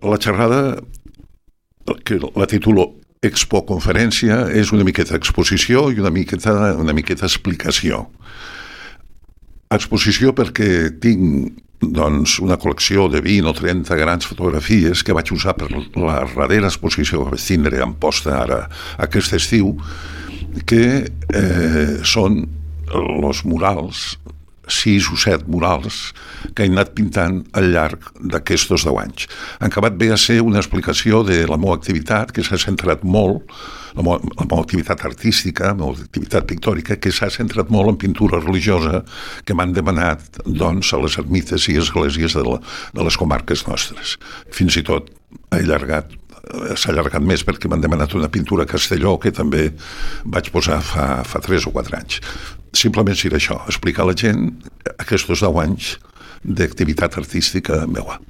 La xerrada, que la titulo Expo Conferència, és una miqueta exposició i una miqueta explicació. Exposició perquè tinc una col·lecció de 20 o 30 grans fotografies que vaig usar per la darrera exposició que vaig tindre en posta ara aquest estiu, que són els murals, 6 o 7 murals que he anat pintant al llarg d'aquests 10 anys. Han acabat bé a ser una explicació de la meva activitat, que s'ha centrat molt, la meva activitat artística, la meva activitat pictòrica, que s'ha centrat molt en pintura religiosa, que m'han demanat, doncs, a les ermites i esglésies de les comarques nostres. Fins i tot s'ha allargat més perquè m'han demanat una pintura a Castelló que també vaig posar fa 3 o 4 anys. Simplement serà això, explicar a la gent aquests 10 anys d'activitat artística meva.